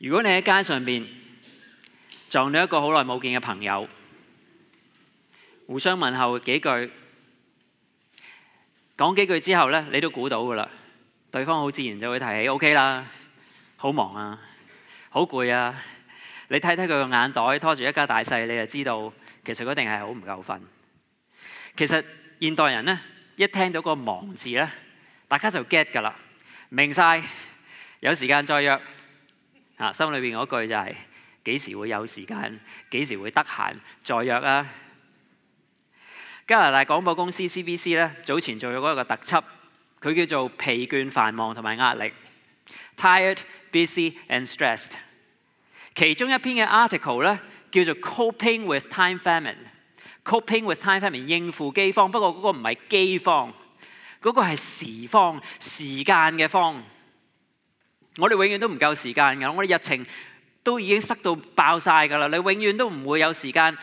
如果你喺街上邊撞到一個好耐冇見嘅朋友，互相問候幾句，講幾句之後呢，你都估到噶啦，對方好自然就會提起 OK 啦，好忙啊，好攰啊。你睇睇佢個眼袋拖住一家大細，你就知道其實佢一定係好唔夠瞓。其實現代人呢，一聽到個忙字呢，大家就 get 噶啦，明晒，有時間再約。心裏邊嗰句就係幾時會有時間，幾時會得閒再約啊。加拿大廣播公司 CBC 咧早前做咗一個特輯，佢叫做疲倦、繁忙同埋壓力 （Tired, Busy and Stressed）。其中一篇嘅 article 咧叫做 Coping with Time Famine。Coping with Time Famine 應付饑荒，不過嗰個唔係饑荒，嗰個係時荒，時間嘅荒。我哋永遠都唔夠時間㗎，我哋日程都已經塞到爆晒㗎啦，你永遠都唔會有時間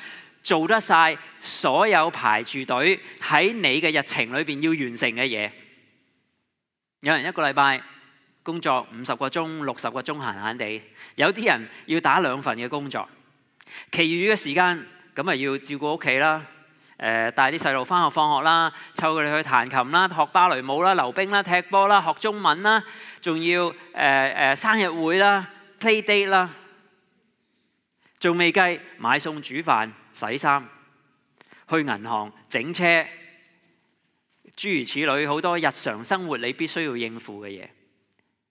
做得晒所有排住隊喺你嘅日程裏邊要完成嘅嘢。有人一個禮拜工作50個鐘、60個鐘閒閒地，有啲人要打2份嘅工作，其餘嘅時間咁啊要照顧屋企啦。帶啲細路返學放學啦，湊佢哋去彈琴啦、學芭蕾舞啦、溜冰啦、踢波啦、學中文啦，仲要生日會啦、play date 啦，仲未計買餸煮飯、洗衫、去銀行整車，諸如此類，好多日常生活你必須要應付嘅嘢。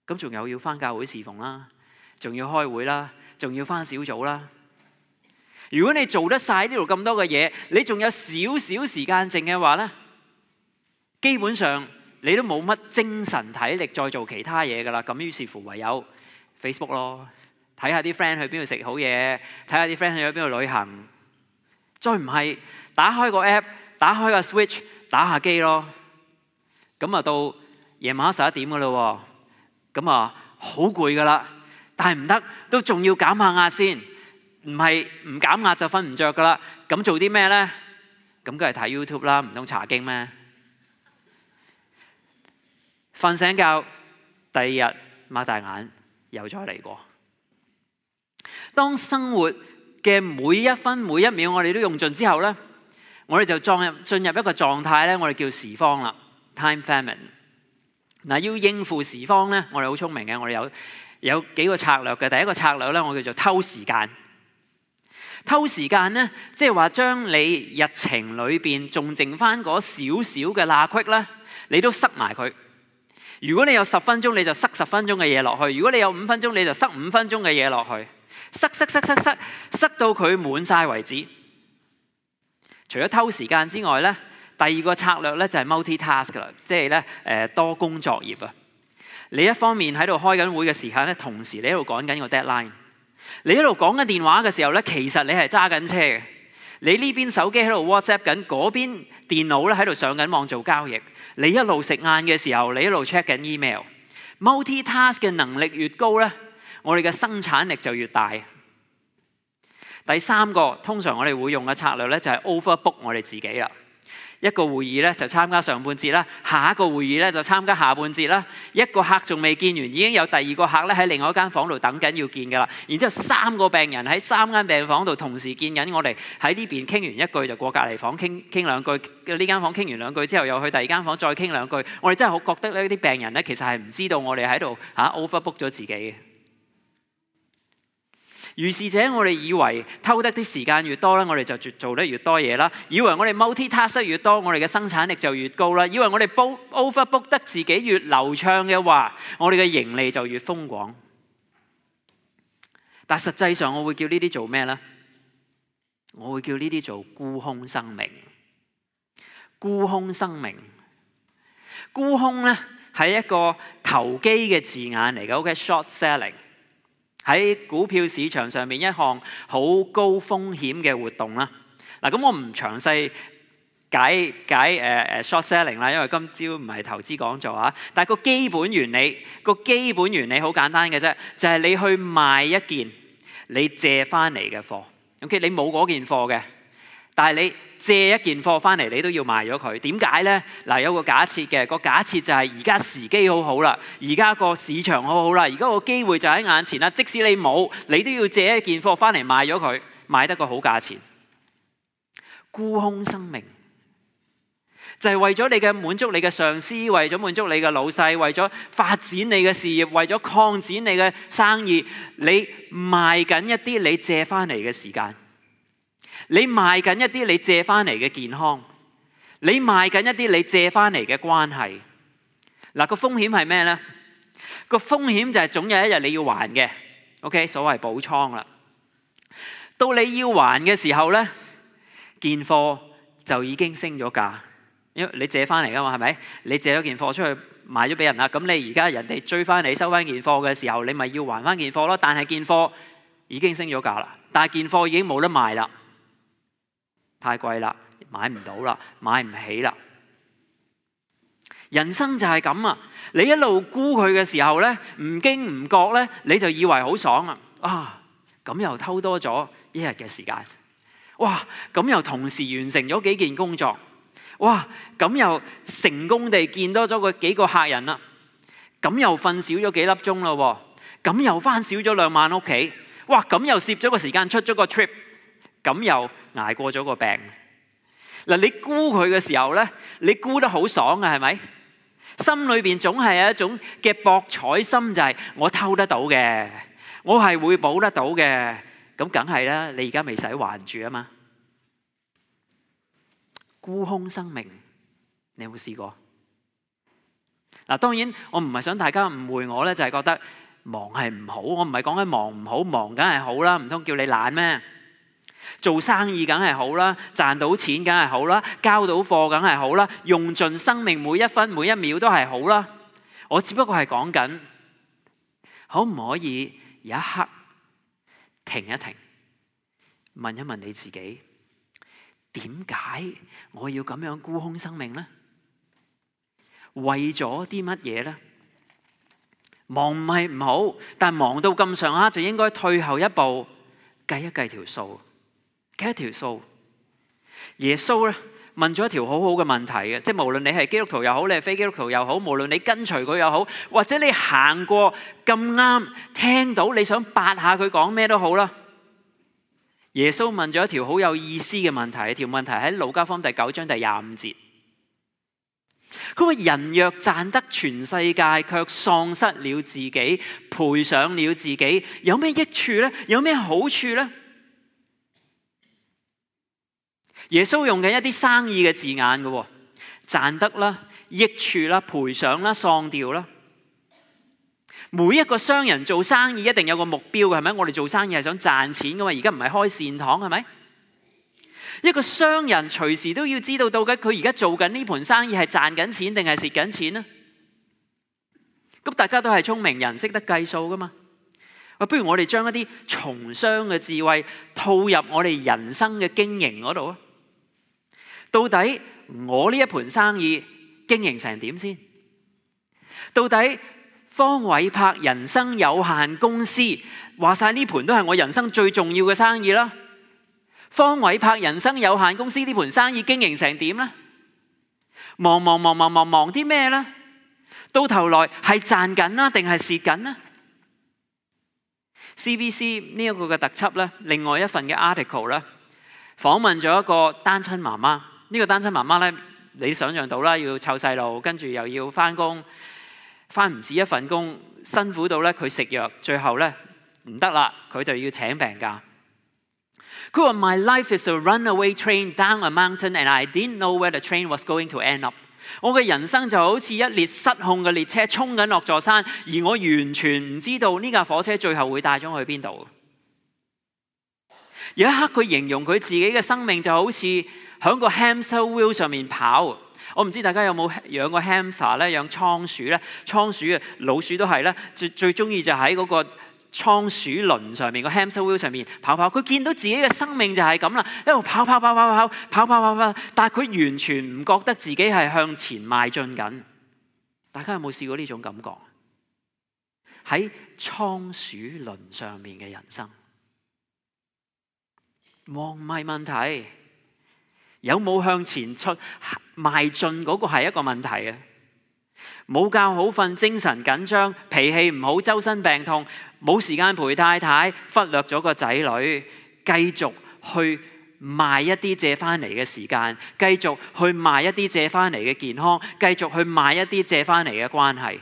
咁仲有要返教會侍奉啦，仲要開會啦，仲要返小組啦。如果你做得晒呢度咁多嘅嘢，你仲有少少時間剩嘅話呢，基本上你都冇乜精神體力再做其他嘢噶啦。咁於是乎唯有 Facebook 咯，睇下啲 friend 去邊度食好嘢，睇下啲 friend 去咗邊度旅行。再唔係打開個 app， 打開個 switch 打下機咯。咁啊到夜晚11點噶啦，咁啊好攰噶啦，但係唔得，都仲要減下壓先。唔係唔減壓就瞓唔着噶啦，咁做啲咩呢？咁梗係睇 YouTube 啦，唔通查經咩？瞓醒覺，第二日擘大眼又再嚟過。當生活嘅每一分每一秒我哋都用盡之後呢，我哋就進入一個狀態呢，我哋叫時荒啦 ，time famine。嗱，要應付時荒呢，我哋好聰明嘅，我哋有幾個策略嘅。第一個策略呢，我叫做偷時間。偷時間呢，即係話將你日程裏邊仲剩翻嗰少少嘅罅隙呢，你都塞埋佢。如果你有10分鐘，你就塞10分鐘嘅嘢落去；如果你有5分鐘，你就塞5分鐘嘅嘢落去，塞到佢滿晒為止。除咗偷時間之外呢，第二個策略呢就係 multitask 啦，即係呢多工作業啊。你一方面喺度開緊會嘅時間呢，同時你喺度趕緊個 deadline。你喺度講緊電話嘅時候呢，其實你係揸緊車嘅。你呢邊手機喺度 WhatsApp 緊，嗰邊電腦咧喺度上緊網做交易。你一路食晏嘅時候，你一路 check 緊 email。multitask 嘅能力越高呢，我哋嘅生產力就越大。第三個，通常我哋會用嘅策略呢，就係 overbook 我哋自己啦。一個會議咧就參加上半節啦，下一個會議咧就參加下半節啦。一個客仲未見完，已經有第二個客咧喺另外一間房度等緊要見㗎啦。然之後3個病人喺3間病房度同時見緊我哋，喺呢邊傾完一句就過隔離房傾兩句，呢間房傾完兩句之後又去第二間房再傾兩句。我哋真係好覺得呢啲病人咧其實係唔知道我哋喺度overbook 咗自己嘅。如是者，我哋以為偷得啲時間越多咧，我哋就做得越多嘢啦。以為我哋 multitask 越多，我哋嘅生產力就越高啦。以為我哋 overbook 得自己越流暢嘅話，我哋嘅盈利就越瘋狂。但實際上，我會叫呢啲做咩呢？我會叫呢啲做沽空生命。沽空生命，沽空咧係一個投機嘅字眼嚟嘅。OK，short selling。喺股票市場上面一項好高風險嘅活動啦。嗱，咁我唔詳細解 short selling 啦，因為今朝唔係投資講座啊。但係個基本原理好簡單嘅啫，就係你去賣一件你借翻嚟嘅貨。OK， 你冇嗰件貨嘅，但係你借一件貨翻嚟，你都要賣咗佢。點解呢？嗱，有個假設嘅，個假設就係而家時機好好啦，而家個市場好好啦，而家個機會就喺眼前啦。即使你冇，你都要借一件貨翻嚟賣咗佢，賣得個好價錢。沽空生命就係為咗你嘅滿足你嘅上司，為咗滿足你嘅老細，為咗發展你嘅事業，為咗擴展你嘅生意，你賣緊一啲你借翻嚟嘅時間，你賣緊一啲你借翻嚟嘅健康，你賣緊一啲你借翻嚟嘅關係。嗱，個風險係咩呢？個風險就係總有一日你要還嘅。OK， 所謂補倉啦。到你要還嘅時候呢，件貨就已經升咗價。因為你借翻嚟噶嘛，係咪？你借咗件貨出去賣咗俾人啦，咁你而家人哋追翻你收翻件貨嘅時候，你咪要還翻件貨咯。但係件貨已經升咗價啦，但係件貨已經冇得賣啦，太貴啦，買唔到啦，買唔起啦。人生就係咁啊！你一路沽佢嘅時候呢，唔經唔覺呢，你就以為好爽啊！啊，咁又偷多咗一日嘅時間，哇！咁又同時完成咗幾件工作。哇！咁又成功地見多咗幾個客人啦，咁又瞓少咗幾粒鐘咯，咁又翻少咗2晚屋企，哇！咁又攝咗個時間出咗個 trip， 咁又捱過咗個病。嗱，你沽佢嘅時候呢，你沽得好爽嘅係咪？心裏邊總係有一種嘅博彩心，就係我偷得到嘅，我係會補得到嘅，咁梗係啦，你而家未使還住啊嘛。沽空生命，你有冇試過？嗱，當然我唔係想大家誤會我咧，就係覺得忙係唔好。我唔係講緊忙唔好，忙梗係好啦，唔通叫你懶咩？做生意梗係好啦，賺到錢梗係好啦，交到貨梗係好啦，用盡生命每一分每一秒都係好啦。我只不過係講緊，可唔可以有一刻停一停，問一問你自己？點解我要咁樣沽空生命呢？為咗啲乜嘢呢？忙唔係唔好，但忙到咁上下就應該退後一步，計一計條數，計一條數。耶穌咧問咗一條好好嘅問題嘅，即係無論你係基督徒又好，你係非基督徒又好，無論你跟隨佢又好，或者你行過咁啱聽到你想八下佢講咩都好啦。耶穌問咗一條好有意思嘅問題，條問題喺路加福音第9章第25節。佢話：人若賺得全世界，卻喪失了自己，賠上了自己，有咩益處呢？有咩好處呢？耶穌用緊一啲生意嘅字眼嘅，賺得啦、益處啦、賠上啦、喪掉啦。每一個商人做生意一定有個目標嘅，係咪？我哋做生意係想賺錢噶嘛，而家唔係開善堂，係咪？一個商人隨時都要知道到底佢而家做緊呢盤生意係賺緊錢定係蝕緊錢呢？咁大家都係聰明人，識得計數噶嘛？不如我哋將一啲從商嘅智慧套入我哋人生嘅經營嗰度啊！到底我呢一盤生意經營成點先？到底方偉柏人生有限公司話晒呢盤都係我人生最重要嘅生意啦。方偉柏人生有限公司呢盤生意經營成點呢？忙啲咩呢？到頭來係賺緊啦定係蝕緊呢？ CBC 呢一個嘅特輯咧，另外一份嘅 article 咧，訪問咗一個單親媽媽。呢個單親媽媽咧，你想象到啦，要湊細路，跟住又要翻工，翻唔止一份工，辛苦到咧佢食藥，最後咧唔得啦，佢就要請病假。佢話：My life is a runaway train down a mountain, and I didn't know where the train was going to end up。我嘅人生就好似一列失控嘅列車衝緊落座山，而我完全唔知道呢架火車最後會帶咗我去邊度。有一刻佢形容佢自己嘅生命就好似喺個 hamster wheel 上面跑。我唔知大家有冇養過 hamster 咧，養倉鼠咧，倉鼠啊、老鼠都係咧，最中意就喺嗰個倉鼠輪上面，個 hamster wheel 上面跑。佢見到自己嘅生命就係咁啦，一路跑，但係佢完全唔覺得自己係向前邁進緊。大家有冇試過呢種感覺？喺倉鼠輪上面嘅人生，忙唔係問題，有冇向前邁進嗰個係一個問題啊！冇覺好瞓，精神緊張，脾氣唔好，周身病痛，冇時間陪太太，忽略咗個仔女，繼續去賣一啲借翻嚟嘅時間，繼續去賣一啲借翻嚟嘅健康，繼續去賣一啲借翻嚟嘅關係。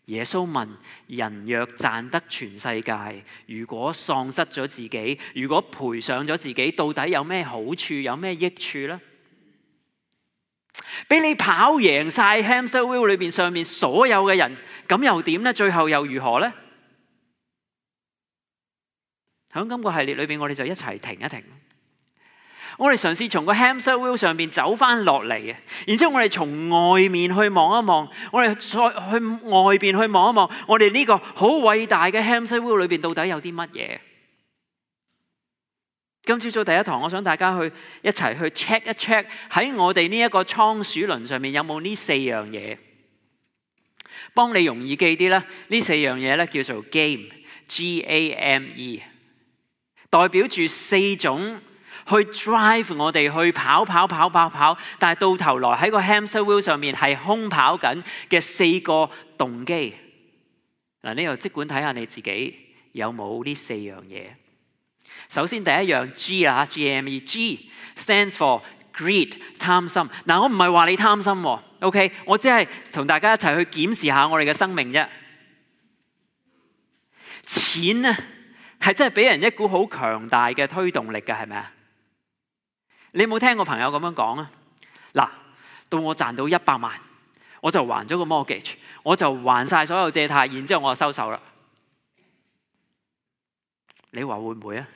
耶穌問：人若賺得全世界，如果喪失咗自己，如果賠上咗自己，到底有咩好處，有咩益處呢？俾你跑贏晒 hamster wheel 裏邊上面所有嘅人，咁又點呢？最後又如何呢？喺今個系列裏邊，我哋就一齊停一停。我哋嘗試從個 hamster wheel 上邊走翻落嚟，然之後我哋從外面去望一望，我哋再去外邊去望一望，我哋呢個好偉大嘅 hamster wheel 裏邊到底有啲乜嘢？今朝早第一堂，我想大家去一齊去 check 一 check 喺我哋呢一個倉鼠輪上面有冇呢4樣嘢，幫你容易記啲啦。呢4樣嘢咧叫做 game，G-A-M-E， 代表住4種去 drive 我哋去跑，但係到頭來喺個 hamster wheel 上面係空跑緊嘅4個動機。嗱，你又即管睇下你自己有冇呢4樣嘢。首先第一樣 G 啦 ，G-A-M-E，G stands for greed， 貪心。嗱，我唔係話你貪心喎 ，OK， 我只係同大家一齊去檢視下我哋嘅生命啫。錢啊，係真係俾人一股好強大嘅推動力嘅，係咪啊？你有冇聽過朋友咁樣講啊？嗱，到我賺到100萬，我就還咗個 mortgage， 我就還晒所有借貸，然之後我就收手啦。你話會唔會啊？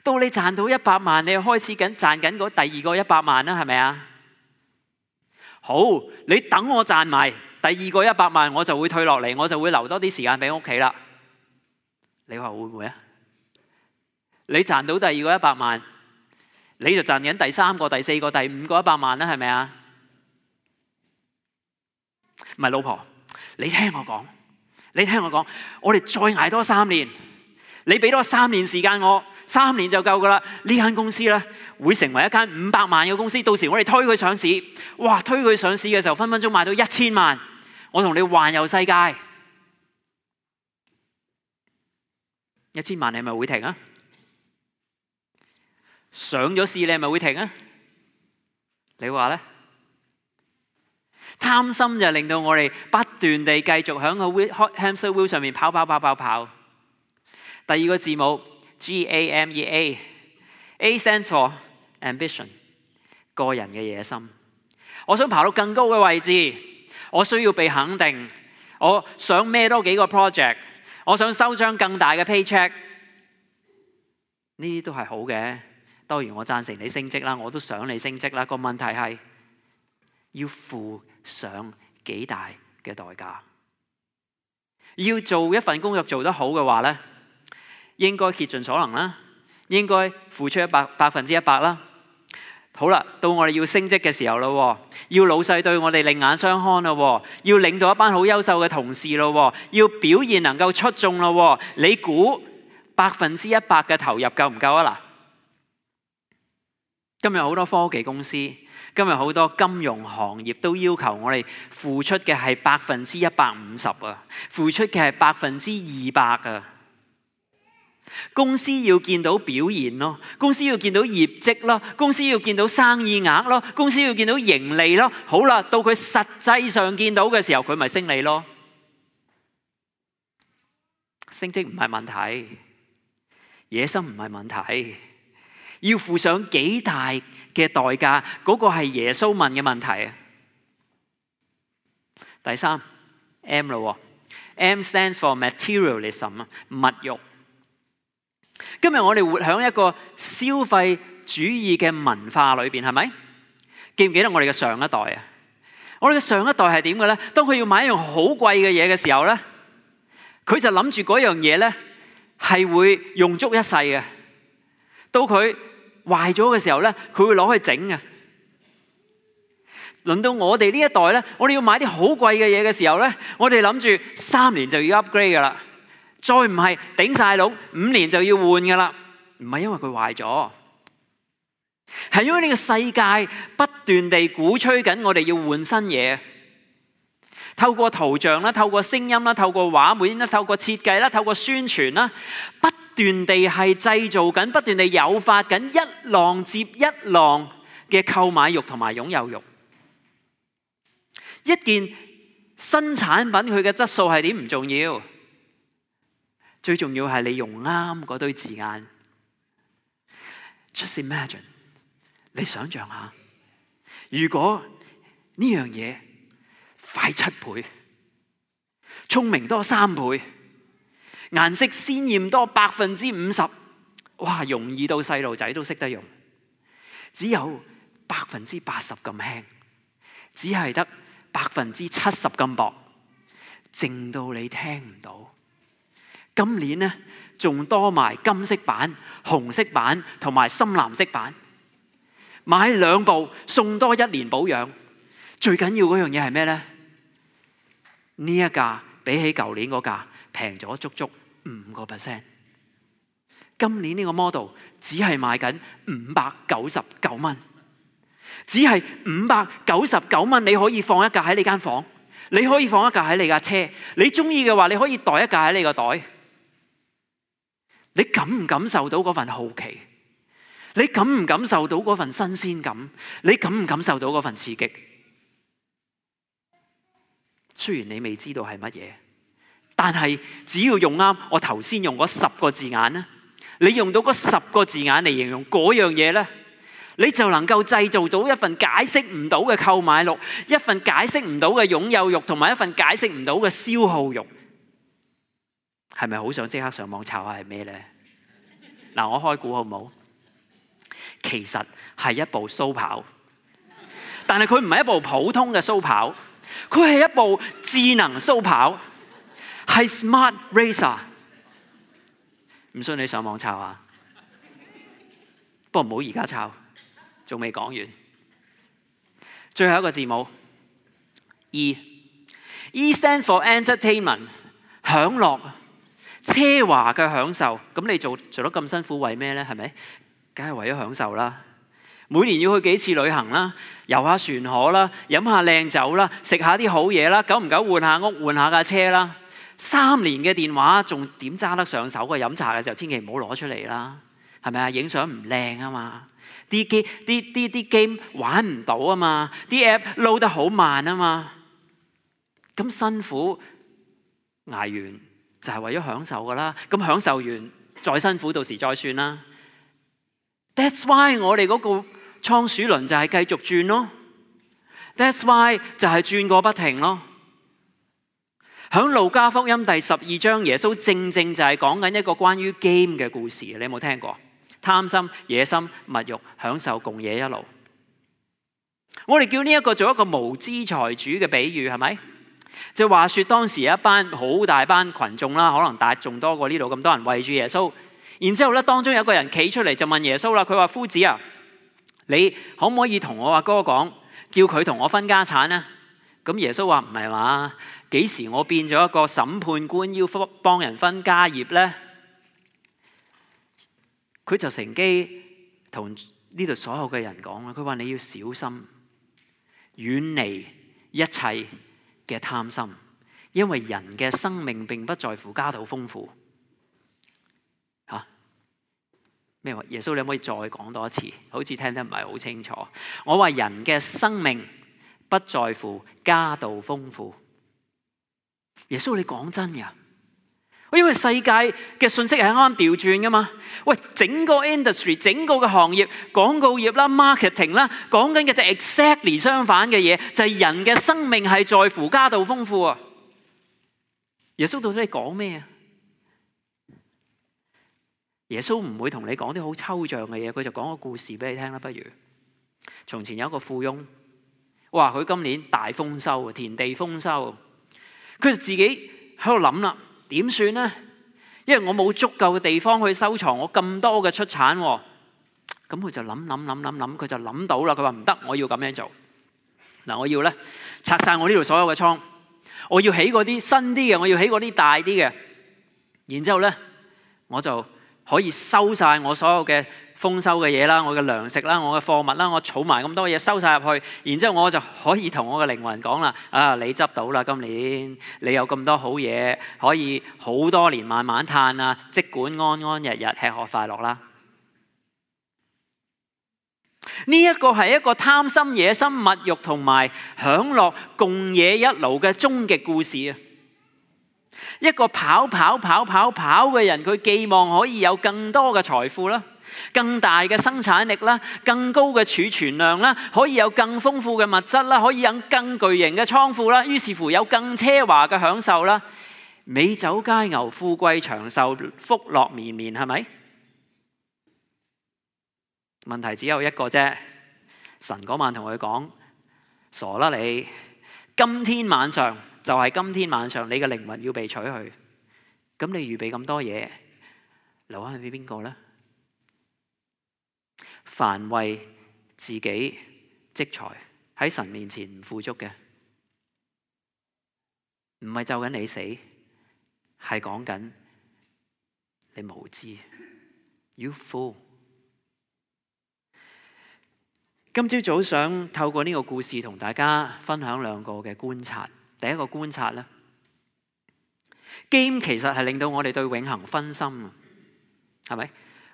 到你賺到100萬，你又開始賺緊嗰第二個100萬啦，係咪啊？好，你等我賺埋第二個100萬，我就會退落嚟，我就會留多啲時間俾屋企啦。你話會唔會啊？你賺到第二個100萬，你就賺緊第3個、第4個、第5個100萬啦，係咪啊？唔係，老婆，你聽我講，我哋再捱多3年。你俾多3年時間我，3年就夠噶啦。呢間公司咧會成為一間500萬嘅公司，到時我哋推佢上市，哇！推佢上市嘅時候，分分鐘賣到1000萬，我同你環遊世界。1000萬你係咪會停啊？上咗市你係咪會停啊？你話咧？貪心就令到我哋不斷地繼續喺個 hamster wheel 上面跑。第二個字母 G-A-M-E-A，A stands for ambition， 個人嘅野心。我想爬到更高嘅位置，我需要被肯定，我想孭多幾個 project， 我想收張更大嘅 paycheck， 呢啲都係好嘅。當然我贊成你升職啦，我都想你升職啦。個問題係要付上幾大嘅代價。要做一份工作做得好嘅話呢，應該竭盡所能啦，應該付出100%啦。好啦，到我哋要升職嘅時候咯，要老細對我哋另眼相看咯，要領導一班好優秀嘅同事咯，要表現能夠出眾咯。你估100%嘅投入夠唔夠啊？嗱，今日好多科技公司，今日好多金融行業都要求我哋付出嘅係150%啊，付出嘅係200%啊。公司要見到表現咯，公司要見到業績咯，公司要見到生意額咯，公司要見到盈利咯。好啦，到佢實際上見到嘅時候，佢咪升你咯。升職唔係問題，野心唔係問題，要付上幾大嘅代價，嗰個係耶穌問嘅問題啊。第3 M 咯 ，M stands for materialism， 物欲。今日我哋活喺一個消費主義嘅文化裏邊，係咪？記唔記得我哋嘅上一代啊？我哋嘅上一代係點嘅咧？當佢要買一樣好貴嘅嘢嘅時候咧，佢就諗住嗰樣嘢咧係會用足一世嘅。到佢壞咗嘅時候咧，佢會攞去整嘅。輪到我哋呢一代咧，我哋要買啲好貴嘅嘢嘅時候咧，我哋諗住3年就要 upgrade 噶啦。再唔係頂晒籠，5年就要換噶啦，唔係因為佢壞咗，係因為呢個世界不斷地鼓吹緊我哋要換新嘢，透過圖像啦，透過聲音啦，透過畫面啦，透過設計啦，透過宣傳啦，不斷地係製造緊，不斷地誘發緊一浪接一浪嘅購買慾同埋擁有慾。一件新產品佢嘅質素係點唔重要，最重要係你用啱嗰堆字眼。Just imagine， 你想象下，如果呢樣嘢快7倍，聰明多3倍，顏色鮮豔多50%，哇，容易到細路仔都識得用。只有80%咁輕，只係得70%咁薄，靜到你聽唔到。今年呢，仲多埋金色版、紅色版同埋深藍色版，買2部送多1年保養。最緊要嗰樣嘢係咩呢？呢一價比起舊年嗰價平咗足足5%。今年呢個 model 只係賣緊599蚊，只係599蚊，你可以放一架喺你間房，你可以放一架喺你架車，你中意嘅話，你可以袋一架喺你個袋。你感唔感受到嗰份好奇？你感唔感受到嗰份新鮮感？你感唔感受到嗰份刺激？雖然你未知道係乜嘢，但係只要用啱我頭先用嗰10個字眼咧，你用到嗰10個字眼嚟形容嗰樣嘢咧，你就能夠製造到一份解釋唔到嘅購買慾，一份解釋唔到嘅擁有慾，同埋一份解釋唔到嘅消耗慾。係咪好想即刻上網查下係咩咧？嗱，我開估好唔好？其實係一部蘇跑，但係佢唔係一部普通嘅蘇跑，佢係一部智能蘇跑，係 Smart Racer。唔信你上網查下，不過唔好而家抄，仲未講完。最後一個字母 E，E stands for entertainment， 享樂。奢華嘅享受，咁你做得咁辛苦為咩呢？係咪？梗係為咗享受啦。每年要去幾次旅行啦，遊下船河啦，飲下靚酒啦，食下啲好嘢啦，久唔久換下屋，換下架車啦。3年嘅電話仲點揸得上手啊？飲茶嘅時候千祈唔好攞出嚟啦，係咪啊？影相唔靚啊嘛，啲 game 玩唔到啊嘛，啲 app load 得好慢啊嘛。咁辛苦捱完就係為咗享受噶啦，咁享受完再辛苦到時再算啦。That's why 我哋嗰個倉鼠輪就係繼續轉咯。That's why 就係轉個不停咯。響路加福音第12章，耶穌正正就係講緊一個關於 game 嘅故事，你有冇聽過？貪心、野心、物慾、享受共冶一爐。我哋叫呢一個做一個無知財主嘅比喻，係咪？就話說當時有一班好大班群眾啦，可能大眾多過呢度咁多人圍住耶穌。然之後咧，當中有一個人企出嚟就問耶穌啦，佢話：夫子啊，你可唔可以同我阿哥講，叫佢同我分家產呢？咁耶穌話：唔係嘛？幾時我變咗一個審判官要幫人分家業呢？佢就乘機同呢度所有嘅人講啦，佢話你要小心，遠離一切嘅貪心，因為人嘅生命並不在乎家道豐富。咩話？耶穌你可唔可以再講多一次？好似聽得唔係好清楚。我話人嘅生命不在乎家道豐富。耶穌你講真㗎？因為世界嘅信息係啱啱調轉㗎嘛。喂，整個 industry， 整個嘅行業，廣告業啦、marketing 啦，講緊嘅就係 exactly 相反嘅嘢，就係人嘅生命係在乎家道豐富啊。耶穌到底講咩啊？耶穌唔會同你講啲好抽象嘅嘢，佢就講個故事俾你聽啦。不如從前有一個富翁，哇！佢今年大豐收，田地豐收，佢就自己喺度諗啦，點算呢？因為我冇足夠嘅地方去收藏我咁多嘅出產，咁佢就諗，佢就諗到啦。佢話唔得，我要咁樣做。嗱，我要咧拆晒我呢度所有嘅倉，我要起嗰啲新啲嘅，我要起嗰啲大啲嘅，然之後咧我就可以收晒我所有嘅豐收嘅嘢啦，我嘅糧食啦，我嘅貨物啦，我儲埋咁多嘢收晒入去，然之後我就可以同我嘅靈魂講啦，你執到啦，今年你有咁多好嘢，可以好多年慢慢嘆啊，即管安安日日吃喝快樂啦。呢一個係一個貪心野心物慾同埋享樂共冶一爐嘅終極故事啊！一個跑嘅人，佢寄望可以有更多嘅財富啦，更大嘅生產力啦，更高嘅儲存量啦，可以有更豐富嘅物質啦，可以有更巨型嘅倉庫啦，於是乎有更奢華嘅享受啦，美酒佳餚，富貴長壽，福樂綿綿，係咪？問題只有一個啫，神嗰晚同佢講：傻啦你！今天晚上就係今天晚上，你嘅靈魂要被取去。咁你預備咁多嘢，留翻俾邊個呢？凡為自己積財喺神面前唔富足嘅，唔係咒緊你死，係講緊你無知。You fool！今朝早想透過呢個故事同大家分享兩個嘅觀察。第一個觀察呢， game 其實係令到我哋對永恆分心啊，係咪？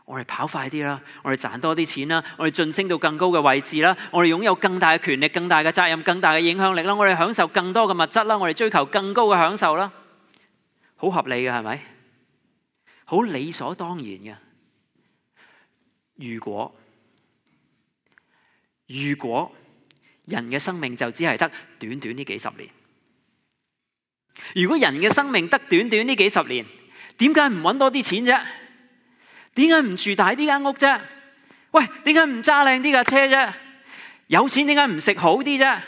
我哋跑快啲啦，我哋賺多啲錢啦，我哋晉升到更高嘅位置啦，我哋擁有更大嘅權力、更大嘅責任、更大嘅影響力啦，我哋享受更多嘅物質啦，我哋追求更高嘅享受啦，好合理嘅，係咪？好理所當然嘅。如果人嘅生命就只係得短短呢幾十年，如果人嘅生命得短短呢幾十年，點解唔揾多啲錢啫？點解唔住大啲間屋啫？喂，點解唔揸靚啲架車啫？有錢點解唔食好啲啫？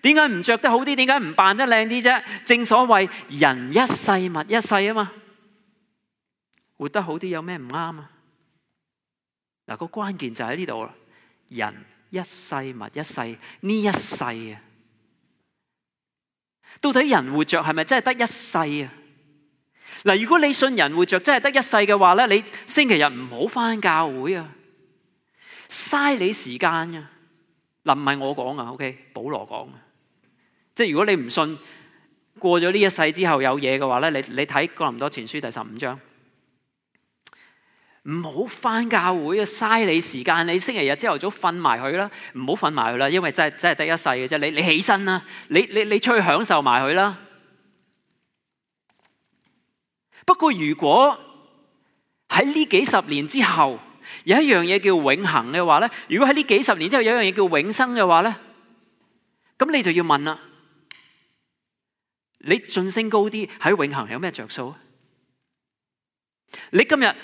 點解唔着得好啲？點解唔扮得靚啲啫？正所謂人一世物一世啊嘛，活得好啲有咩唔啱啊？嗱，個關鍵就喺呢度啦，人一世物一世，呢一世啊，到底人活着係咪真係得一世啊？嗱，如果你信人活着真係得一世嘅話咧，你星期日唔好返教會啊，嘥你時間啊！嗱，唔係我講啊 ，OK， 保羅講啊，即係如果你唔信過咗呢一世之後有嘢嘅話咧，你睇哥林多前書第15章。唔好返教會啊！嘥你時間，你星期日朝頭早瞓埋佢啦，唔好瞓埋佢啦，因為真係得一世嘅啫。你起身啦，你出去享受埋佢啦。不過如果喺呢幾十年之後有一樣嘢叫永恆嘅話咧，如果喺呢幾十年之後有一樣嘢叫永生嘅話咧，咁你就要問啦：你晉升高啲喺永恆有咩着數啊？你今日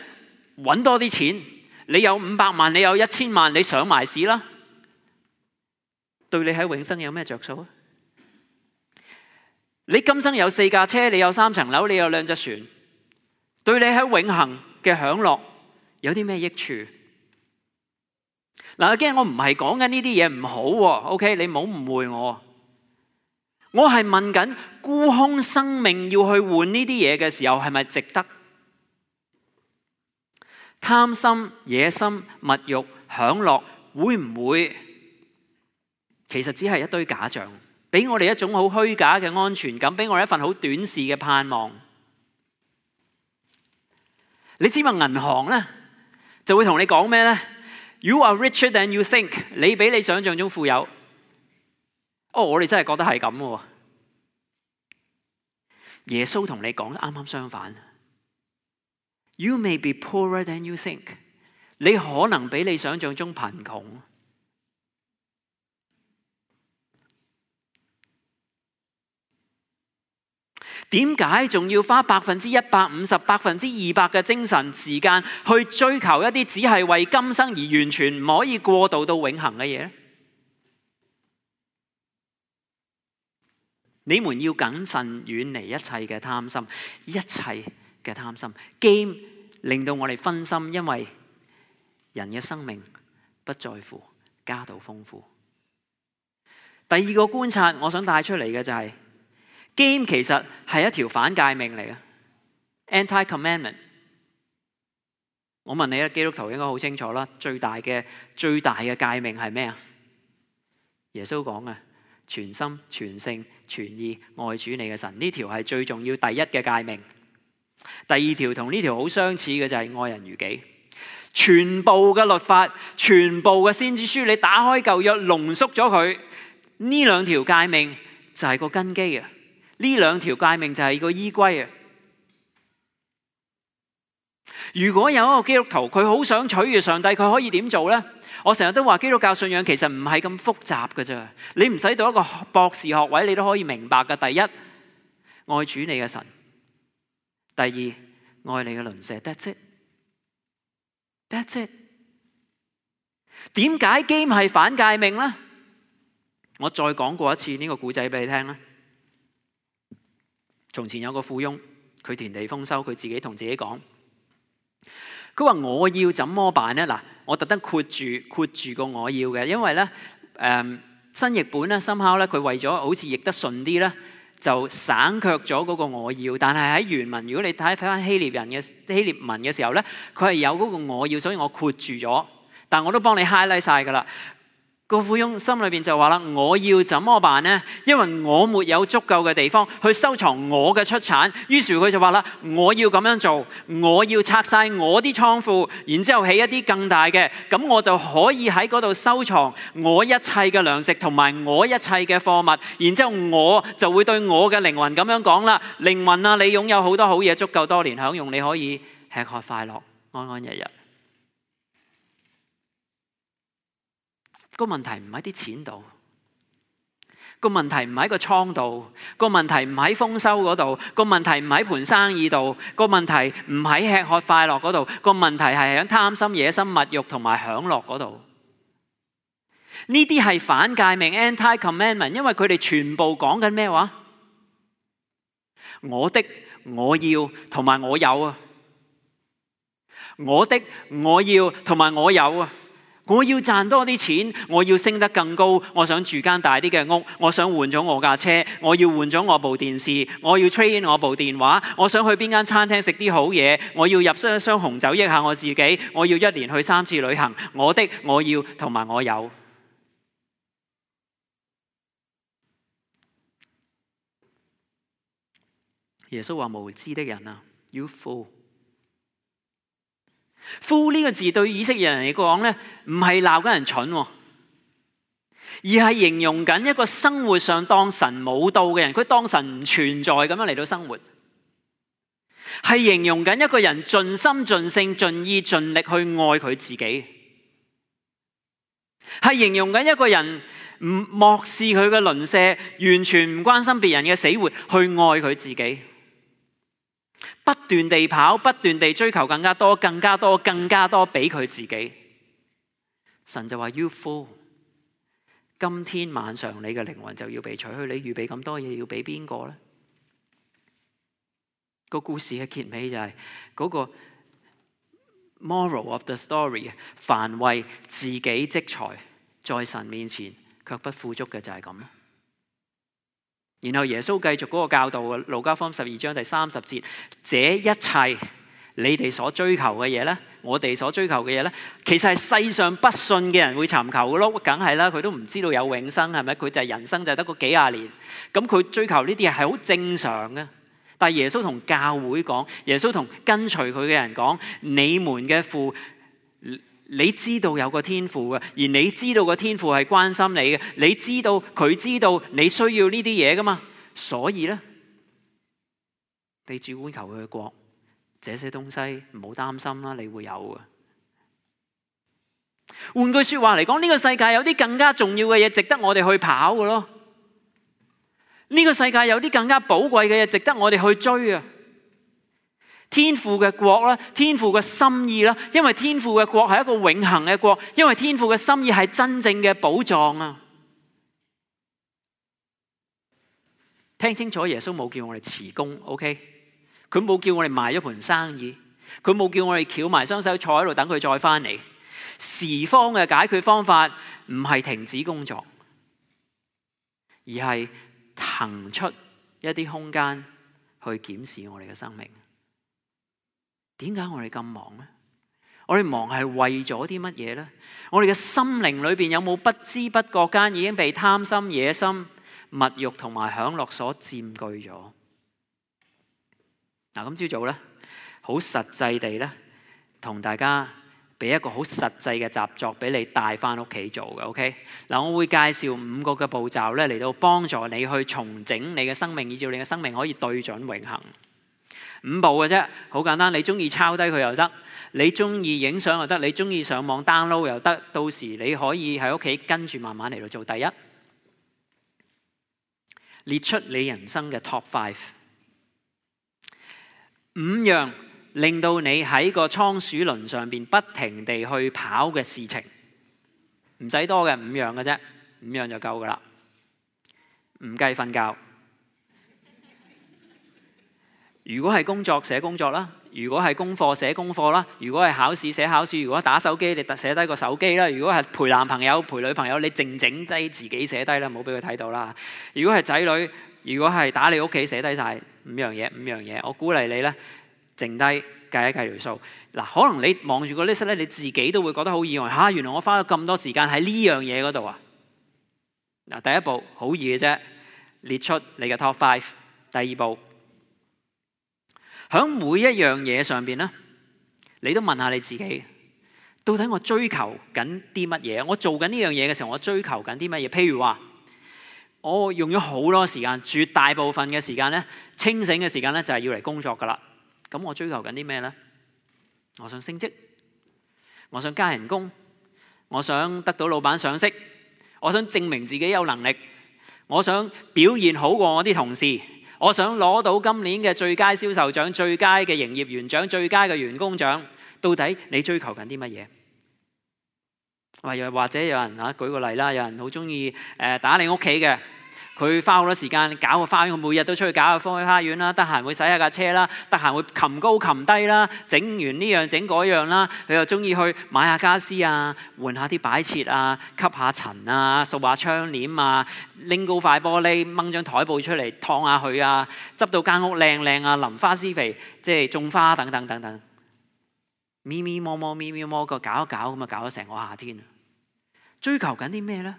揾多啲錢，你有500萬，你有1000萬，你上埋市啦，對你喺永生有咩着數啊？你今生有4架車，你有3層樓，你有2隻船，對你喺永恆嘅享樂有啲咩益處？嗱，驚我唔係講緊呢啲嘢唔好喎 ，OK， 你唔好誤會我。我係問緊沽空生命要去換呢啲嘢嘅時候，係咪值得？貪心、野心、物慾、享樂，會唔會其實只係一堆假象，俾我哋一種好虛假嘅安全感，俾我哋一份好短視嘅盼望？你知嘛？銀行咧就會同你講咩咧 ？You are richer than you think， 你比你想象中富有。哦，我哋真係覺得係咁喎。耶穌同你講啱啱相反。You may be poorer than you think， 你可能比你想象中貧窮。點解仲要花150%、200%嘅精神時間去追求一啲只係為今生而完全唔可以過渡到永恆嘅嘢呢？你們要謹慎，遠離一切嘅貪心，一切嘅貪心。game 令到我哋分心，因為人嘅生命不在乎家道豐富。第二個觀察我想帶出嚟嘅就係 game 其實係一條反誡命嚟嘅 ，anti-commandment。我問你咧，基督徒應該好清楚啦，最大嘅誡命係咩啊？耶穌講嘅，全心、全性、全意愛主你嘅神，呢條係最重要第一嘅誡命。第二條同呢條好相似嘅就係愛人如己。全部嘅律法，全部嘅先知書，你打開舊約濃縮咗佢，呢兩條誡命就係個根基啊！呢兩條誡命就係個依歸啊！如果有一個基督徒，佢好想取悅上帝，佢可以點做呢？我成日都話基督教信仰其實唔係咁複雜嘅啫，你唔使讀一個博士學位，你都可以明白嘅。第一，愛主你嘅神；第二，愛你嘅鄰舍。That's it。點解基係反誡命呢？我再講過一次呢個故仔俾你聽啦。從前有個富翁，佢田地豐收，佢自己同自己講，佢話我要怎麼辦呢？嗱，我特登括住個我要嘅，因為咧新譯本咧somehow咧佢為咗好似譯得順啲咧，就省卻咗嗰個我要。但係喺原文，如果你睇翻希臘文嘅時候咧，佢係有嗰個我要，所以我括住咗。但我都幫你 highlight 晒噶啦。個富翁心裏邊就話啦：我要怎麼辦呢？因為我沒有足夠嘅地方去收藏我嘅出產。於是佢就話啦：我要咁樣做，我要拆晒我啲倉庫，然之後起一啲更大嘅，咁我就可以喺嗰度收藏我一切嘅糧食同埋我一切嘅貨物。然之後我就會對我嘅靈魂咁樣講啦：靈魂啊，你擁有好多好嘢，足夠多年享用，你可以吃喝快樂，安安逸逸。個問題唔喺啲錢度，個問題唔喺個倉度，個問題唔喺豐收嗰度，個問題唔喺盤生意度，個問題唔喺吃喝快樂嗰度，個問題係喺貪心、野心、物慾同埋享樂嗰度。呢啲係反誡命 （anti-commandment）， 因為佢哋全部講緊咩話？我的、我要同埋我有啊！我的、我要同埋我有啊！我要賺多啲錢，我要升得更高，我想住間大啲嘅屋，我想換咗我架車，我要換咗我部電視，我要 trade in 我部電話，我想去邊間餐廳食啲好嘢，我要入箱紅酒益下我自己，我要一年去3次旅行。我的、我要同埋我有。耶穌話：無知的人啊 ，you fool。fool 呢個字對以色列人嚟講咧，唔係鬧緊人蠢，而係形容緊一個生活上當神冇到嘅人，佢當神唔存在咁樣嚟到生活，係形容緊一個人盡心盡性盡意盡力去愛佢自己，係形容緊一個人唔漠視佢嘅鄰舍，完全唔關心別人嘅死活，去愛佢自己。不斷地跑，不斷地追求更加多、更加多、更加多俾佢自己。神就話 You fool， 今天晚上你嘅靈魂就要被取去。你預備咁多嘢要俾邊個呢？個故事嘅結尾就係嗰個 moral of the story， 凡為自己積財，在神面前卻不富足嘅就係咁。然後耶穌繼續嗰個教導嘅路加福音12章第30節，這一切你哋所追求嘅嘢呢，我哋所追求嘅嘢呢，其實係世上不信嘅人會尋求嘅咯，梗係啦，佢都唔知道有永生，係咪？佢就係人生就係得個幾廿年，咁佢追求呢啲嘢係好正常嘅。但係耶穌同教會講，耶穌同跟隨佢嘅人講，你們嘅父，你知道有個天父嘅，而你知道個天父係關心你嘅，你知道佢知道你需要呢啲嘢噶嘛？所以咧，你只管求佢嘅國，這些東西唔好擔心啦，你會有嘅。換句說話嚟講，呢個世界有啲更加重要嘅嘢值得我哋去跑嘅咯。呢個世界有啲更加寶貴嘅嘢值得我哋去追啊！天父嘅國啦，天父嘅心意啦，因為天父嘅國係一個永恆嘅國，因為天父嘅心意係真正嘅寶藏啊！聽清楚，耶穌冇叫我哋辭工 ，OK？ 佢冇叫我哋賣咗盤生意，佢冇叫我哋翹埋雙手坐喺度等佢再翻嚟。時方嘅解決方法唔係停止工作，而係騰出一啲空間去檢視我哋嘅生命。點解我哋咁忙呢？我哋忙係為咗啲乜嘢呢？我哋嘅心靈裏邊有冇不知不覺間已經被貪心、野心、物欲同埋享樂所佔據咗？嗱，今朝早咧，好實際地咧，同大家俾一個好實際嘅習作俾你帶翻屋企做嘅。OK，嗱，我會介紹5個嘅步驟咧，嚟到幫助你去重整你嘅生命，以至你嘅生命可以對準永恆。5步嘅啫，好簡單。你中意抄低佢又得，你中意影相又得，你中意上網 download 又得。到時你可以喺屋企跟住慢慢嚟到做。第一，列出你人生嘅 top 5，5樣令到你喺個倉鼠輪上邊不停地去跑嘅事情，唔使多嘅，5樣嘅啫，5樣就夠噶啦，唔計瞓覺。如果係工作寫工作啦，如果係功課寫功課啦，如果係考試寫考試，如果打手機你寫低個手機啦，如果係陪男朋友陪女朋友，你靜靜低自己寫低啦，唔好俾佢睇到啦。如果係仔女，如果係打你屋企，寫低晒5樣嘢，我鼓勵你咧，靜低計一計條數。嗱，可能你望住個 list 咧，你自己都會覺得好意外嚇，原來我花咗咁多時間喺呢樣嘢嗰度啊！嗱，第一步好易嘅啫，列出你嘅 top 5。第二步，喺每一樣嘢上邊咧，你都問下你自己，到底我追求緊啲乜嘢？我做緊呢樣嘢嘅時候，我追求緊啲乜嘢？譬如話，我用咗好多時間，絕大部分嘅時間咧，清醒嘅時間咧，就係要嚟工作噶啦。咁我追求緊啲咩咧？我想升職，我想加人工，我想得到老闆賞識，我想證明自己有能力，我想表現好過我啲同事。我想攞到今年嘅最佳銷售獎、最佳嘅營業員獎、最佳嘅員工獎。到底你追求緊啲乜嘢？又或者有人舉個例啦，有人好中意打理屋企嘅，佢花好多時間搞個花園，佢每日都出去搞個花園啦，得閒會洗下架車啦，得閒會擒高擒低啦，整完呢樣整嗰樣啦，佢又中意去買下家私啊，換下啲擺設啊，吸下塵啊，掃下窗簾啊，拎高塊玻璃掹張台布出嚟燙下佢啊，執到間屋靚靚啊，淋花施肥，即係種花等等等等，咪咪摸摸個搞一搞咁啊，搞咗成個夏天啊！追求緊啲咩咧？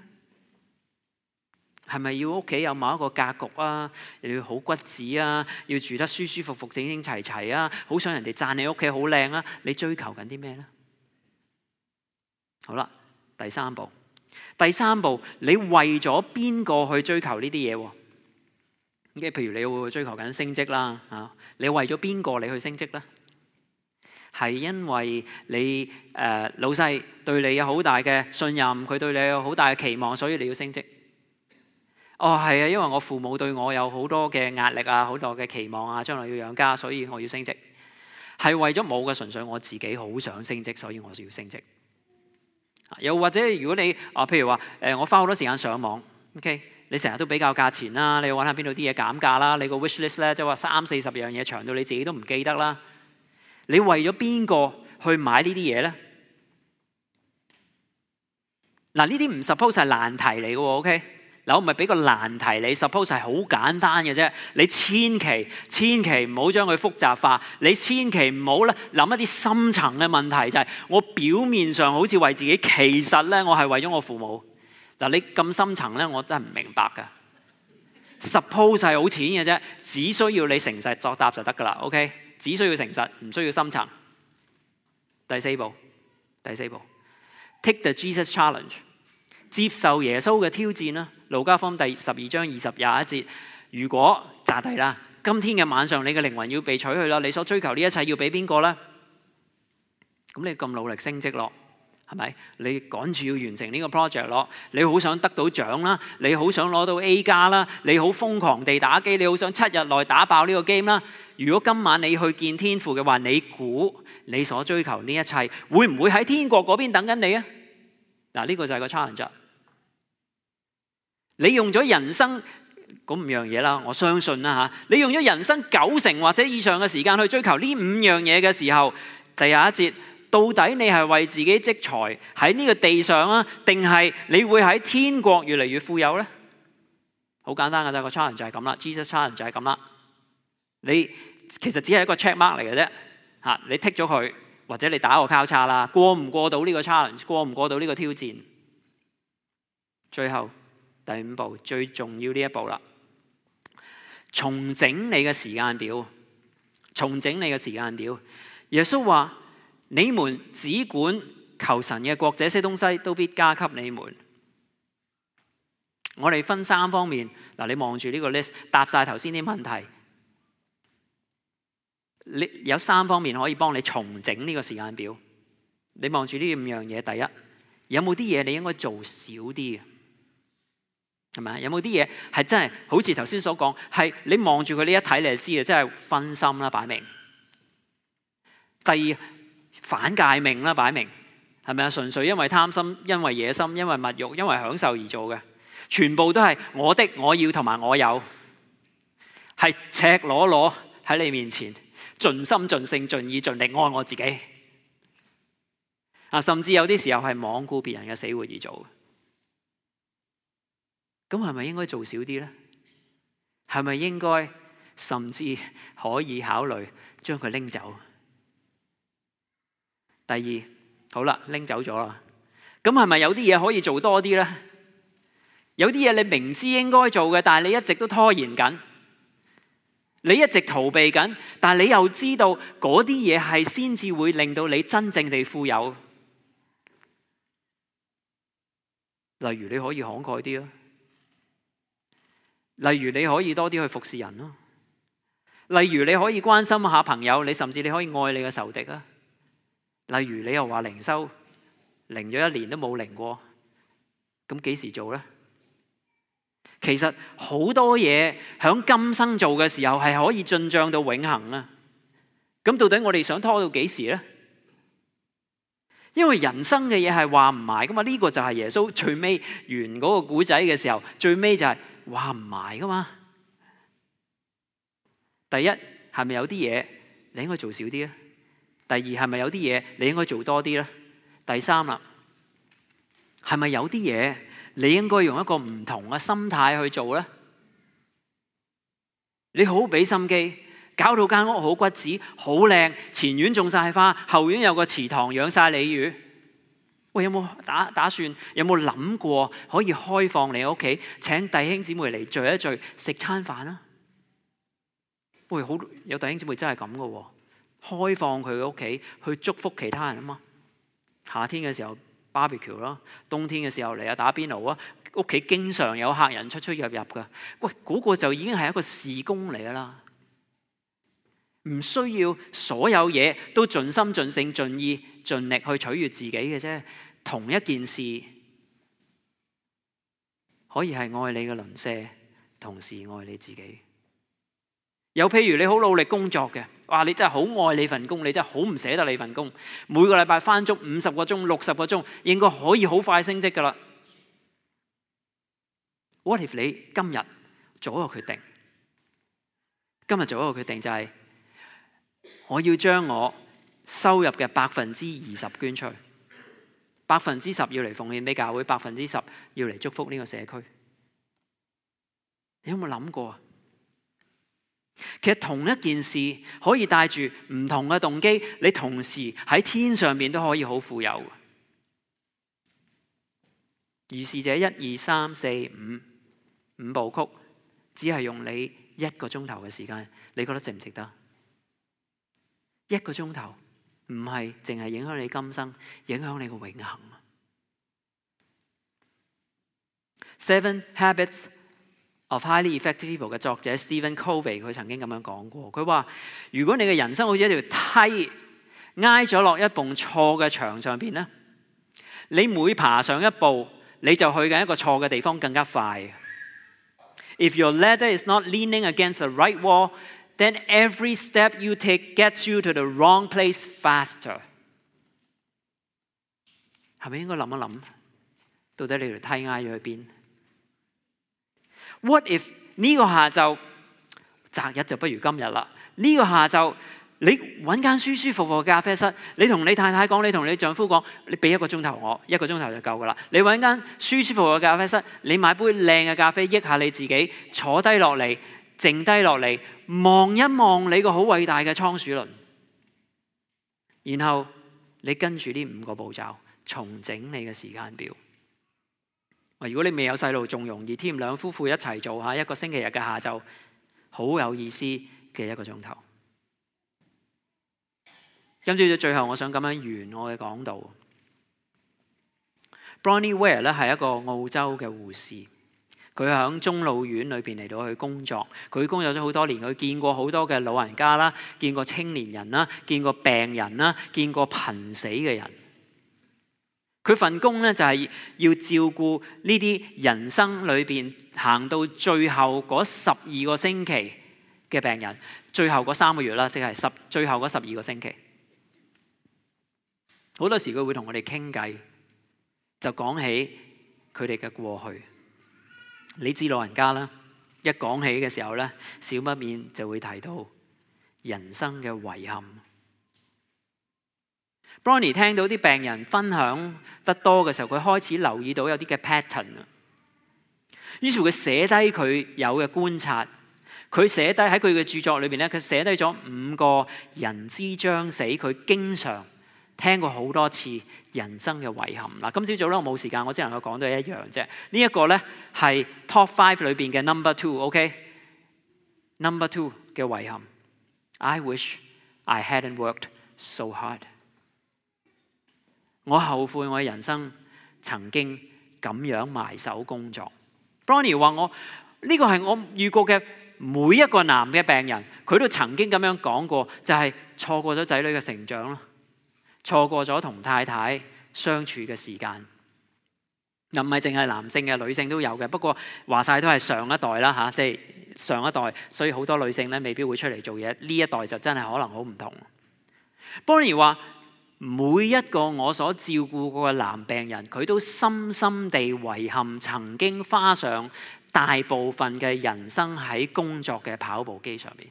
係咪要屋企有某一個格局啊？要好骨子啊？要住得舒舒服服、整整齊齊啊？好想人哋讚你屋企好靚啊？你追求緊啲咩咧？好啦，第三步，你為咗邊個去追求呢啲嘢？咁譬如你會追求緊升職啦，你為咗邊個你去升職咧？係因為你老細對你有好大嘅信任，佢對你有好大嘅期望，所以你要升職。哦，係啊，因為我父母對我有好多嘅壓力啊，好多嘅期望啊，將來要養家，所以我要升職。係為咗冇嘅，純粹我自己好想升職，所以我要升職。又或者如果你譬如話我花好多時間上網 ，OK， 你成日都比較價錢啦，你揾下邊度啲嘢減價啦，你個 wish list 咧即係話30-40樣嘢長到你自己都唔記得啦。你為咗邊個去買呢啲嘢咧？嗱，呢啲唔 suppose 係難題嚟嘅喎 ，OK？嗱，我唔係俾個難題你 ，suppose 係好簡單嘅啫。你千祈唔好將佢複雜化，你千祈唔好咧諗一啲深層嘅問題，就係我表面上好似為自己，其實咧我係為咗我父母。嗱，你咁深層咧，我真係唔明白㗎。suppose 係好淺嘅啫，只需要你誠實作答就得㗎啦。OK， 只需要誠實，唔需要深層。第四步 ，Take the Jesus Challenge。接受耶穌嘅挑戰啦，路加福音第12章20-21節。如果咋地啦，今天嘅晚上你嘅靈魂要被取去啦，你所追求呢一切要俾邊個咧？咁你咁努力升職咯，係咪？你趕住要完成呢個 project 咯，你好想得到獎啦，你好想攞到 A 加啦，你好瘋狂地打機，你好想7日內打爆呢個 game 啦。如果今晚你去見天父嘅話，你估你所追求呢一切會唔會喺天國嗰邊等緊你啊？嗱，呢個就係個 challenge。你用咗人生嗰5樣嘢啦，我相信啦嚇，你用咗人生90%或者以上嘅時間去追求呢5樣嘢嘅時候，第21節，到底你係為自己積財喺呢個地上啊，定係你會喺天國越嚟越富有咧？好簡單㗎咋，個 challenge 就係咁啦 ，Jesus challenge 就係咁啦。你其實只係一個 check mark 嚟嘅啫嚇，你剔咗佢或者你打個交叉啦，過唔過到呢個 challenge， 過唔過到呢個挑戰？最後第5步最重要呢一步啦，重整你嘅時間表。重整你嘅時間表。耶穌話：你們只管求神嘅國，這些東西都必加給你們。我哋分3方面。嗱，你望住呢個 list， 答晒頭先啲問題。你有3方面可以幫你重整呢個時間表。你望住呢5樣嘢，第一，有冇啲嘢你應該做少啲嘅？係咪？有冇啲嘢係真係好似頭先所講，係你望住佢，你一睇你就知嘅，真係分心啦，擺明。第二，反誡命啦，擺明，係咪啊？純粹因為貪心、因為野心、因為物慾、因為享受而做嘅，全部都係我的、我要同埋我有，係赤裸裸喺你面前，盡心盡性盡意盡力愛我自己。甚至有啲時候係罔顧別人嘅死活而做。咁係咪應該做少啲呢？係咪應該甚至可以考慮將佢拎走？第二，好啦，拎走咗啦。咁係咪有啲嘢可以做多啲呢？有啲嘢你明知應該做嘅，但係你一直都拖延緊，你一直逃避緊，但係你又知道嗰啲嘢係先至會令到你真正地富有。例如你可以慷慨啲啊。例如你可以多啲去服侍人咯，例如你可以關心下朋友，你甚至你可以愛你嘅仇敵啊。例如你又話靈修，靈咗1年都冇靈過，咁幾時做呢？其實好多嘢響今生做嘅時候係可以進帳到永恆啊。咁到底我哋想拖到幾時呢？因為人生嘅嘢係話唔埋噶嘛，呢個就係耶穌最尾完嗰個古仔嘅時候，最尾就係話唔埋噶嘛。第一，係咪有啲嘢你應該做少啲咧？第二，係咪有啲嘢你應該做多啲咧？第三啦，係咪有啲嘢你應該用一個唔同嘅心態去做咧？你好俾心機，搞到間屋好骨子，好靚，前院種晒花，後院有個池塘養晒鯉魚。喂，有冇打算？有冇諗過可以開放你屋企，請弟兄姊妹嚟聚一聚，食餐飯啊？喂，好有弟兄姊妹真係咁噶喎，開放佢嘅屋企去祝福其他人啊嘛。夏天嘅時候 barbecue 啦，冬天嘅時候嚟啊打邊爐啊，屋企經常有客人出出入入噶。喂，嗰個就已經係一個事工嚟噶啦。唔需要所有嘢都盡心盡性盡意盡力去取悅自己嘅啫。同一件事可以係愛你嘅鄰舍，同時愛你自己。又譬如你好努力工作嘅，哇！你真係好愛你份工，你真係好唔捨得你份工。每個禮拜返足50個鐘、60個鐘，應該可以好快升職噶啦。What if 你今日做一個決定？今日做一個決定就係，我要將我收入嘅20%捐出去，10%要嚟奉獻俾教會，10%要嚟祝福呢個社區。你有冇諗過啊？其實同一件事可以帶住唔同嘅動機，你同時喺天上面都可以好富有。如是者1、2、3、4、5部曲，只係用你1個鐘頭嘅時間，你覺得值唔值得？1個鐘頭唔係淨係影響你今生，影響你個永恆。Seven Habits of Highly Effective People 嘅作者 Stephen Covey 佢曾經咁樣講過，佢話：如果你嘅人生好似一條梯挨咗落一埲錯嘅牆上邊咧，你每爬上一步，你就去緊一個錯嘅地方更加快。If your ladder is not leaning against the right wall, then every step you take gets you to the wrong place faster。係咪應該諗一諗，到底你條梯挨咗去邊 ？What if 呢個下晝，擇日就不如今日啦。呢個下晝，你揾間舒舒服服嘅咖啡室，你同你太太講，你同你丈夫講，你俾1個鐘頭我，1個鐘頭就夠噶啦。你揾間舒舒服服嘅咖啡室，你買杯靚嘅咖啡，益下你自己，坐低落嚟，靜低落嚟，望一望你個好偉大嘅倉鼠輪。然後你跟住呢5個步驟重整你嘅時間表。如果你未有細路，仲容易添，兩夫婦一齊做下一個星期日嘅下晝，好有意思嘅1個鐘頭。今朝早最後，我想咁樣完我嘅講道。Bronnie Ware 咧係一個澳洲嘅護士，佢喺中老院裏邊嚟到去工作。佢工作咗好多年，佢見過好多嘅老人家啦，見過青年人啦，見過病人啦，見過瀕死嘅人。佢份工咧就係要照顧呢啲人生裏邊行到最後嗰12個星期嘅病人，最後嗰3個月啦，即係最後嗰12個星期。好多時佢會同我哋傾偈，就講起佢哋嘅過去。你知老人家啦，一講起嘅時候咧，少不免就會提到人生嘅遺憾。Bronnie 聽到啲病人分享得多嘅時候，佢開始留意到有啲嘅 pattern 啊。於是佢寫低佢有嘅觀察，佢寫低喺佢嘅著作裏邊咧，佢寫低咗5個人之將死，佢經常聽過好多次人生嘅遺憾。嗱，今朝早咧我冇時間，我只能夠講到一樣啫。呢一個咧係 Top 5裏邊嘅 Number 2，OK？Number 2嘅遺憾 ，I wish I hadn't worked so hard。我後悔我嘅人生曾經咁樣埋手工作。Bronnie 話我呢個係我遇過嘅每一個男嘅病人，佢都曾經咁樣講過，就係錯過咗仔女嘅成長咯，錯過咗同太太相處嘅時間。又唔係淨係男性嘅，女性都有嘅。不過話晒都係上一代啦嚇，即係上一代，所以好多女性咧未必會出嚟做嘢。呢一代就真係可能好唔同。Bronnie 話每一個我所照顧過嘅男病人，佢都深深地遺憾曾經花上大部分嘅人生喺工作嘅跑步機上面。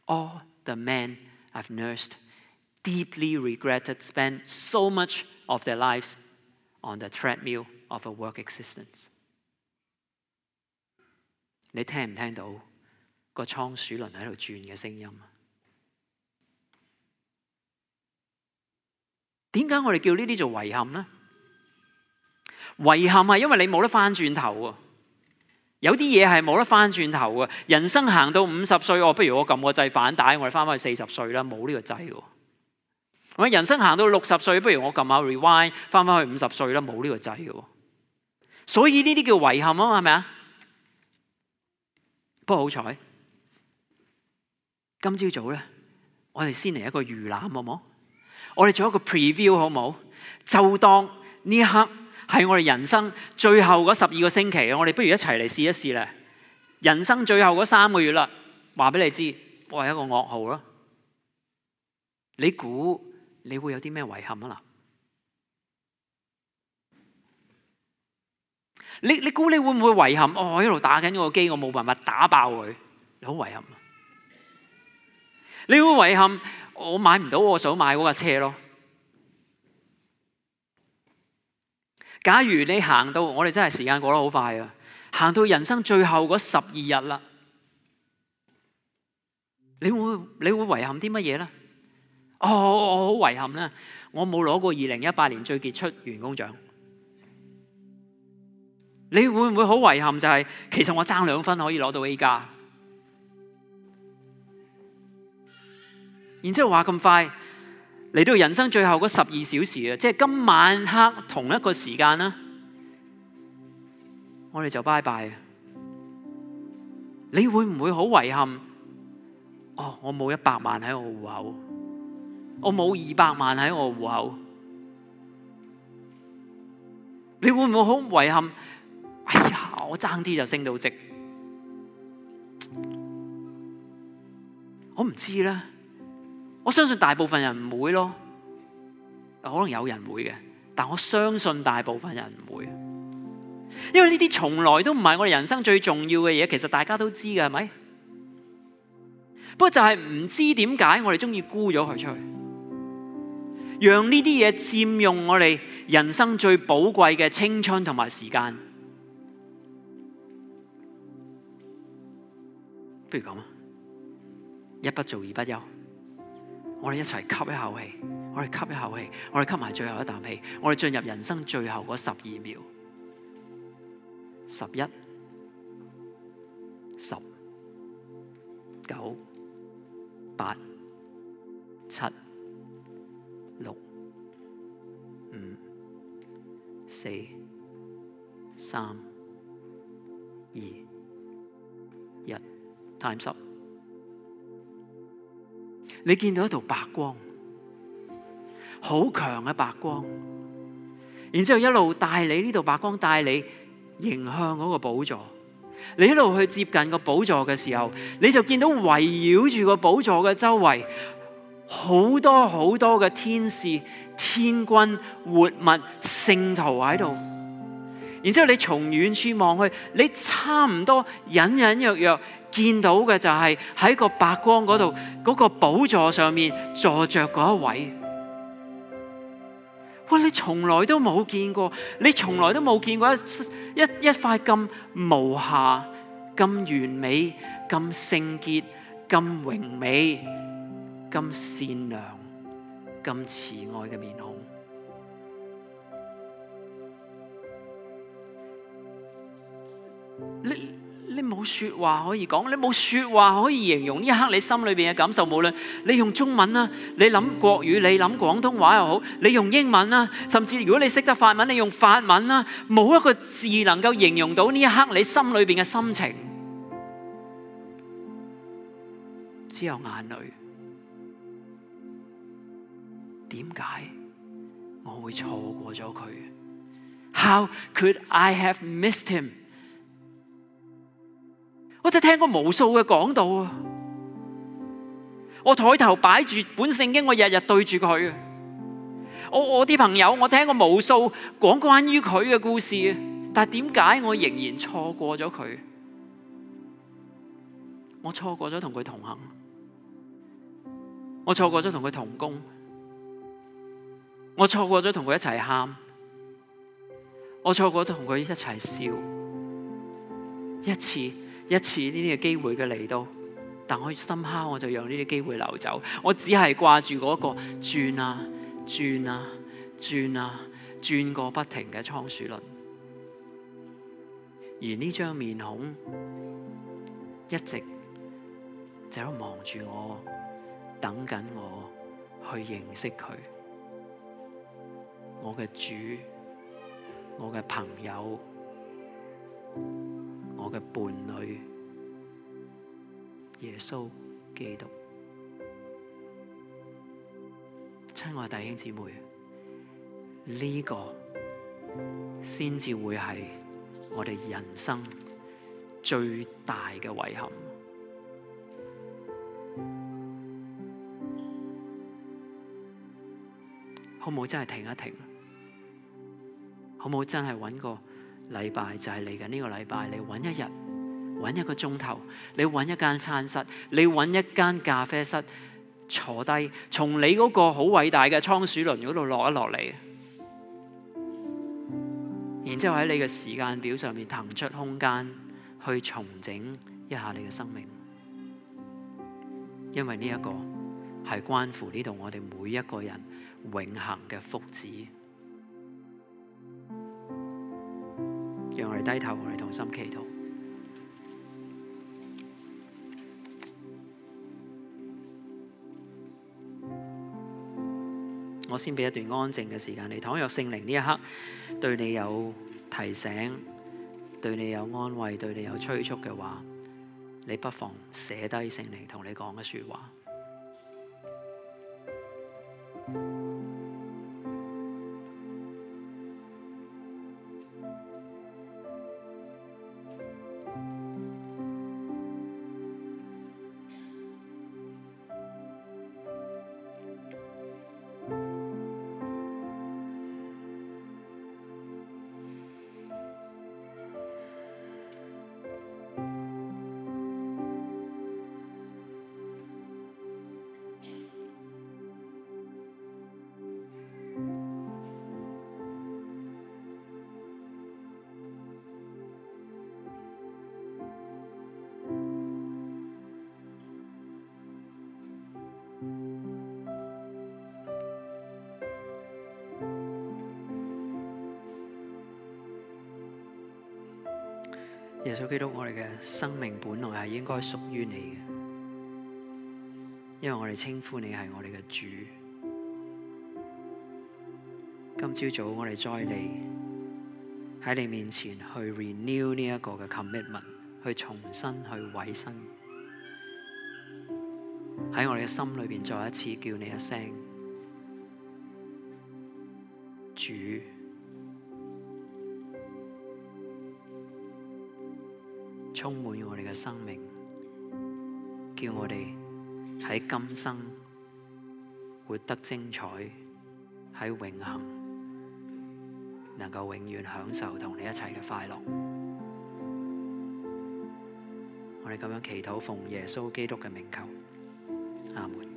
All the men I've nursed deeply regretted spend so much of their lives on the treadmill of a work existence。你聽唔聽到個倉鼠輪喺度轉嘅聲音啊？點解我哋叫呢啲做遺憾呢？遺憾係因為你冇得翻轉頭啊！有啲嘢係冇得翻轉頭啊！人生行到50歲，不如我撳個掣反帶，我哋翻返去40歲啦，冇呢個掣喎。我人生行到60歲，不如我撳下 rewind， 翻返去50歲啦，冇呢個掣嘅。所以呢啲叫遺憾啊嘛，係咪啊？不過好彩，今朝早咧，我哋先嚟一個預覽，好唔好？我哋做一個 preview 好唔好？就當呢一刻係我哋人生最後嗰12個星期，我哋不如一齊嚟試一試咧。人生最後嗰3個月啦，話俾你知，我係一個噩耗咯。你估你會有啲咩遺憾啊？嗱，你估你會唔會遺憾？我一路打緊個機，我冇辦法打爆佢，你好遺憾啊！你會遺憾我買唔到我想買嗰架車咯。假如你行到，我哋真係時間過得好快啊！行到人生最後嗰12日啦，你會遺憾啲乜嘢咧？我好遺憾啦，我冇攞過2018年最傑出員工獎。你會唔會好遺憾就係其實我爭2分可以攞到 A 加？然之後話咁快嚟到人生最後嗰12小時啊，即係今晚黑同一個時間啦，我哋就拜拜啊！你會唔會好遺憾？我冇100萬喺我戶口，我冇200萬喺我戶口。你會唔會好遺憾？哎呀，我爭啲就升到職，我唔知啦。我相信大部分人唔會咯，可能有人會嘅，但我相信大部分人唔會，因為呢啲從來都唔係我哋人生最重要嘅嘢，其實大家都知嘅，係咪？不過就係唔知點解我哋中意沽咗佢出去，讓呢啲嘢佔用我哋人生最寶貴嘅青春同埋時間。不如咁啊，一不做二不休。我哋一齊吸一口氣，我哋吸一口氣，我哋吸埋最後一啖氣，我哋進入人生最後嗰12秒。11、10、9、8、7、6、5、4、3、2、1 ，Time's up。你見到一道白光，好強嘅白光，然之後一路帶你，呢道白光帶你迎向嗰個寶座。你一路去接近個寶座嘅時候，你就見到圍繞住個寶座嘅周圍好多好多嘅天使、天軍、活物、聖徒喺度。然之後你從遠處望去，你差唔多隱隱約約見到嘅就係喺個白光嗰度，嗰個寶座上面坐着嗰一位。哇！你從來都冇見過，你從來都冇見過一塊咁無瑕、咁完美、咁聖潔、咁榮美、咁善良、咁慈愛嘅面孔。你冇說話可以講，你冇說話可以形容呢一刻你心裏邊嘅感受。無論你用中文啦，你諗國語，你諗廣東話又好，你用英文啦，甚至如果你識得法文，你用法文啦，冇一個字能夠形容到呢一刻你心裏邊嘅心情，只有眼淚。點解我會錯過咗佢？How could I have missed him？我真係聽過無數嘅講道啊！我枱頭擺住本聖經，我日日對住佢。我啲朋友，我聽過無數講關於佢嘅故事，但係點解我仍然錯過咗佢？我錯過咗同佢同行，我錯過咗同佢同工，我錯過咗同佢一齊喊，我錯過咗同佢一齊笑。一次呢啲嘅機會嘅嚟到，但我深刻我就讓呢啲機會流走。我只係掛住嗰個轉啊轉啊轉啊轉個不停嘅倉鼠輪，而呢張面孔一直就喺度望住我，等緊我去認識佢，我嘅主，我嘅朋友，我嘅伴侶，耶穌基督。親愛弟兄姊妹，呢個先至會係我哋人生最大嘅遺憾。好唔好真係停一停？好唔好真係揾個禮拜，就係嚟緊呢個禮拜，你揾一日，揾一個鐘頭，你揾一間餐室，你揾一間咖啡室，坐低，從你嗰個好偉大嘅倉鼠輪嗰度落一落嚟，然之後喺你嘅時間表上面騰出空間去重整一下你嘅生命，因為呢一個係關乎呢度我哋每一個人永恆嘅福祉。讓我哋低頭，我哋同心祈禱。我先俾一段安靜嘅時間你，倘若聖靈呢一刻對你有提醒，對你有安慰，對你有催促嘅話，你不妨寫低聖靈同你講嘅說話。耶穌基督，我哋嘅生命本來係應該屬於你嘅，因為我哋稱呼你係我哋嘅主。今朝早我哋再嚟喺你面前去 renew 呢一個嘅 commitment， 去重新去委身，喺我哋嘅心裏邊再一次叫你一聲主。充滿我哋嘅生命，叫我哋喺今生活得精彩，喺永恆能夠永遠享受同你一齊嘅快樂。我哋咁樣祈禱，奉耶穌基督嘅名求，阿門。